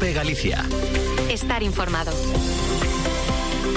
COPE Galicia. Estar informado.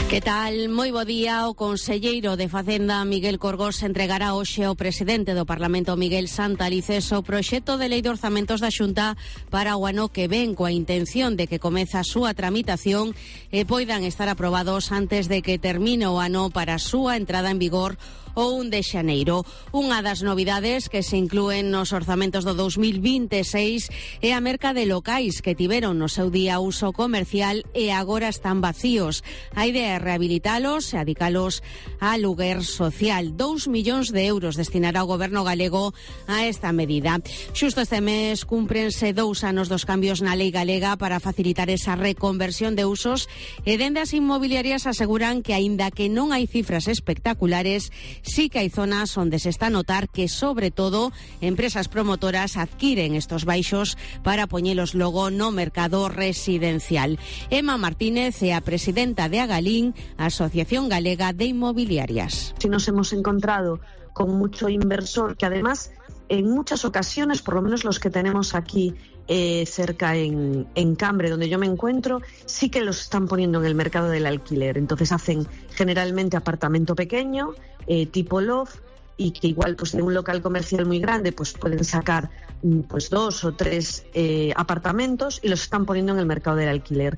Que tal? Moi bo día. O conselleiro de Facenda, Miguel Corgos, entregará hoxe ao presidente do Parlamento, Miguel Santalices, o proxecto de lei de orzamentos da Xunta para o ano que ven, coa intención de que comece a súa tramitación e poidan estar aprobados antes de que termine o ano para a súa entrada en vigor o 1 de xaneiro. Unha das novidades que se inclúen nos orzamentos do 2026 é a merca de locais que tiveron no seu día uso comercial e agora están vacíos. A idea é rehabilitalos e adicalos a aluguer social. 2 millóns de euros destinará o goberno galego a esta medida. Xusto este mes cúmprense 2 anos dos cambios na lei galega para facilitar esa reconversión de usos e dende as inmobiliarias aseguran que aínda que non hai cifras espectaculares, sí que hai zonas onde se está a notar que, sobre todo, empresas promotoras adquiren estos baixos para poñelos logo no mercado residencial. Emma Martínez é a presidenta de Agalín, Asociación Galega de Inmobiliarias. Si nos hemos encontrado con mucho inversor que además en muchas ocasiones, por lo menos los que tenemos aquí cerca en Cambre, donde yo me encuentro, sí que los están poniendo en el mercado del alquiler. Entonces hacen generalmente apartamento pequeño, tipo loft, y que igual pues de un local comercial muy grande pues pueden sacar pues 2 o 3 apartamentos y los están poniendo en el mercado del alquiler.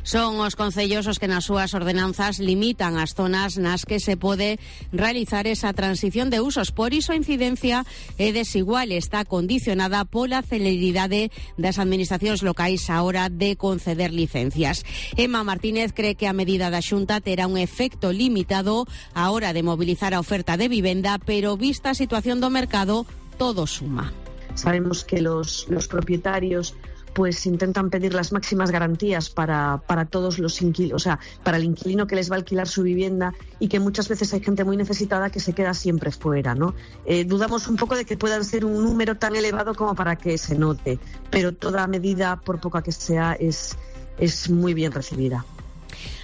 Son os concellos os que nas súas ordenanzas limitan as zonas nas que se pode realizar esa transición de usos. Por iso a incidencia é desigual, está condicionada pola celeridade das administracións locais á hora de conceder licencias. Emma Martínez cree que a medida da Xunta terá un efecto limitado á hora de mobilizar a oferta de vivenda, pero vista a situación do mercado, todo suma. Sabemos que los propietarios pues intentan pedir las máximas garantías para todos los inquilinos, o sea, para el inquilino que les va a alquilar su vivienda, y que muchas veces hay gente muy necesitada que se queda siempre fuera, ¿no? Dudamos un poco de que puedan ser un número tan elevado como para que se note, pero toda medida, por poca que sea, es muy bien recibida.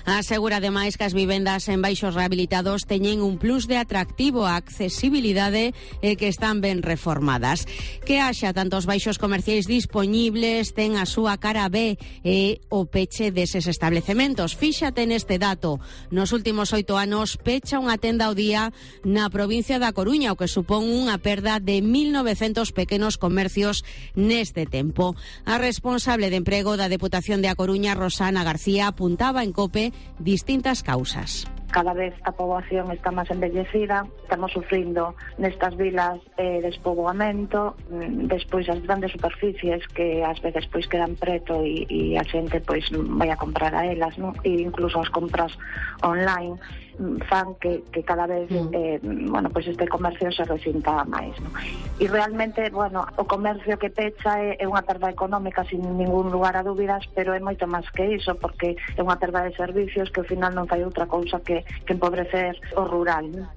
Asegura ademais que as vivendas en baixos rehabilitados teñen un plus de atractivo a accesibilidade e que están ben reformadas. Que haxa tantos baixos comerciais dispoñibles ten a súa cara B e o peche deses establecementos. Fíxate neste dato. Nos últimos 8 anos pecha unha tenda ao día na provincia da Coruña, o que supón unha perda de 1.900 pequenos comercios neste tempo. A responsable de emprego da Deputación de A Coruña, Rosana García, apuntaba en COPE distintas causas. Cada vez a poboación está máis envellecida, estamos sufrindo nestas vilas despoboamento, despois as grandes superficies que ás veces pois quedan preto e a xente pois vai a comprar a elas, non? E incluso as compras online fan que cada vez pois este comercio se resinta máis, non? E realmente, o comercio que pecha é unha perda económica sin ningún lugar a dúbidas, pero é moito máis que iso, porque é unha perda de servicios que ao final non fai outra cousa que empobrecer o rural, non?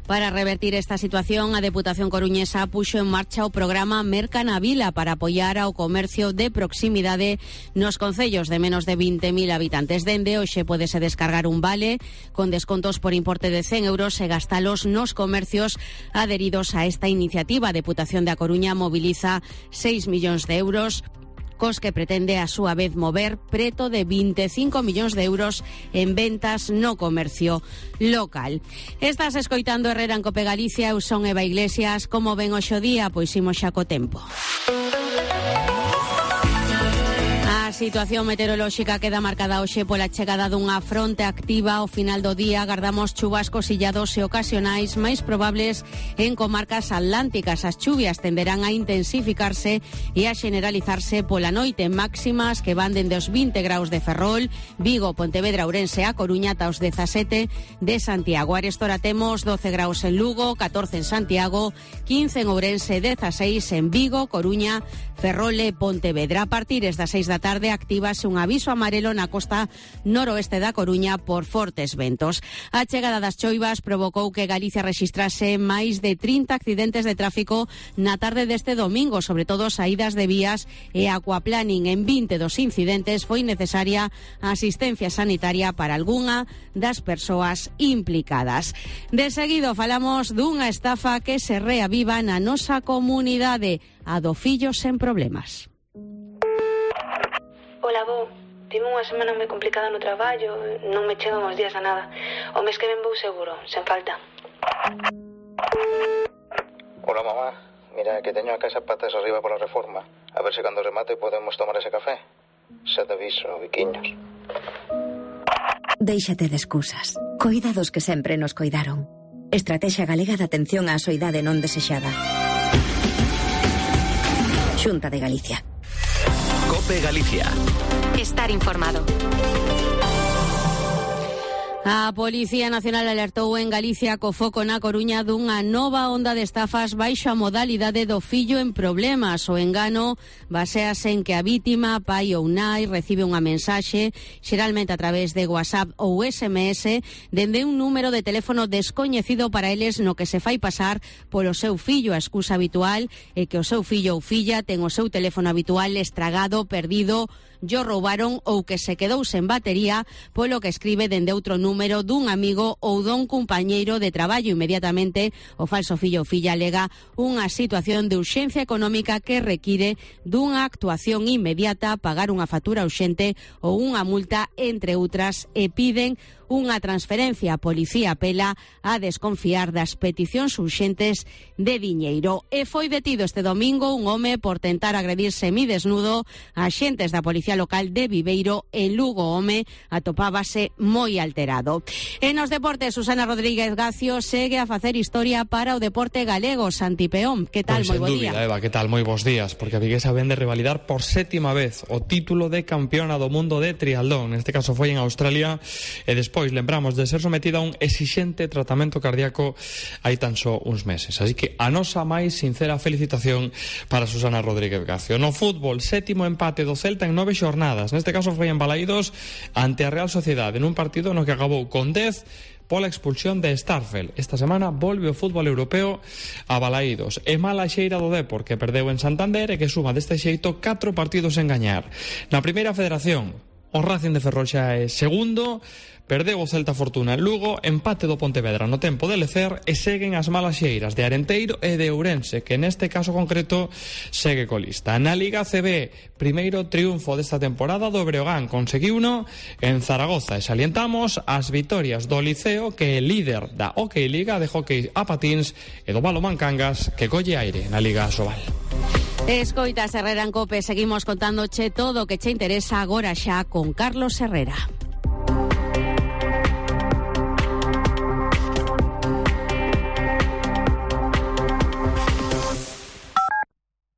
Para revertir esta situación, a Deputación coruñesa puxo en marcha o programa Merca na Vila para apoiar ao comercio de proximidade nos concellos de menos de 20.000 habitantes. Dende hoxe pódese descargar un vale con descontos por importe de 100 euros e gastalos nos comercios adheridos a esta iniciativa. A Deputación da Coruña moviliza 6 millóns de euros, cos que pretende a súa vez mover preto de 25 millóns de euros en ventas no comercio local. Estás escoitando Herrera en Cope Galicia, eu son Eva Iglesias. Como ven hoxe o día? Pois imos xa co tempo. A situación meteorolóxica queda marcada hoxe pola chegada dunha fronte activa. Ao final do día agardamos chuvascos illados e ocasionais máis probables en comarcas atlánticas. As chuvias tenderán a intensificarse e a generalizarse pola noite, máximas que van dende os 20 graus de Ferrol, Vigo, Pontevedra, Ourense a Coruña ata os 17 de Santiago. Arestora temos 12 graus en Lugo, 14 en Santiago, 15 en Ourense, 16 en Vigo, Coruña, Ferrol e Pontevedra. A partir das 6 da tarde actívase un aviso amarelo na costa noroeste da Coruña por fortes ventos. A chegada das choivas provocou que Galicia rexistrase máis de 30 accidentes de tráfico na tarde deste domingo, sobre todo saídas de vías e aquaplaning. En 20 dos incidentes foi necesaria asistencia sanitaria para algunha das persoas implicadas. De seguido falamos dunha estafa que se reaviva na nosa comunidade, a do Fillos sen Problemas. Ola, bo. Tive unha semana moi complicada no traballo, non me chegan os días a nada. O mes que ven vou seguro, sen falta. Hola, mamá. Mira, que teño a casa patas arriba pola reforma. A ver se cando remate podemos tomar ese café. Xa te aviso, biquiños. Déixate de excusas. Coida dos que sempre nos coidaron. Estrategia Galega de Atención á Soidade Non Desexada. Xunta de Galicia. COPE Galicia. Estar informado. A Policía Nacional alertou en Galicia co foco na Coruña dunha nova onda de estafas baixo a modalidade do fillo en problemas. O engano basease en que a vítima, pai ou nai, recibe unha mensaxe, xeralmente a través de WhatsApp ou SMS, dende un número de teléfono descoñecido para eles no que se fai pasar polo seu fillo. A excusa habitual é que o seu fillo ou filla ten o seu teléfono habitual estragado, perdido, yo roubaron ou que se quedou sen batería, polo que escribe dende outro número dun amigo ou dun compañeiro de traballo. Inmediatamente o falso fillo ou filla alega unha situación de urxencia económica que require dunha actuación inmediata, pagar unha factura urxente ou unha multa, entre outras, e piden unha transferencia. A policía apela a desconfiar das peticións urxentes de diñeiro. E foi detido este domingo un home por tentar agredir semidesnudo a axentes da Policía Local de Viveiro. En Lugo o home atopábase moi alterado. En os deportes, Susana Rodríguez Gacio segue a facer historia para o deporte galego. Santi Peón, que tal? Moi bo día. Eva, que tal? Moi bons días, porque a viguesa vende revalidar por 7ª vez o título de campeona do mundo de triatlón. Neste caso foi en Australia e despois lembramos de ser sometida a un exixente tratamento cardíaco hai tan só uns meses. Así que a nosa máis sincera felicitación para Susana Rodríguez Gacio. No fútbol, 7º empate do Celta en 9 xornadas. Neste caso foi en Balaídos ante a Real Sociedade, en un partido no que acabou con 10 pola expulsión de Starfel. Esta semana volve o fútbol europeo a Balaídos. E mala xeira do Depor, que perdeu en Santander e que suma deste xeito 4 partidos en gañar. Na primeira federación, o Racing de Ferrol xa é segundo, perdeu o Celta Fortuna en Lugo, empate do Pontevedra no tempo de Lecer e seguen as malas xeiras de Arenteiro e de Ourense, que neste caso concreto segue colista. Na Liga CB, primeiro triunfo desta temporada do Breogán, conseguiuno en Zaragoza, e salientamos as vitorias do Liceo, que é líder da Hockey Liga de hockey a patins, e do Balonmán Cangas, que colle aire na Liga Asobal. Escoitas Herrera en COPE, seguimos contándoche todo o que che interesa agora xa con Carlos Herrera.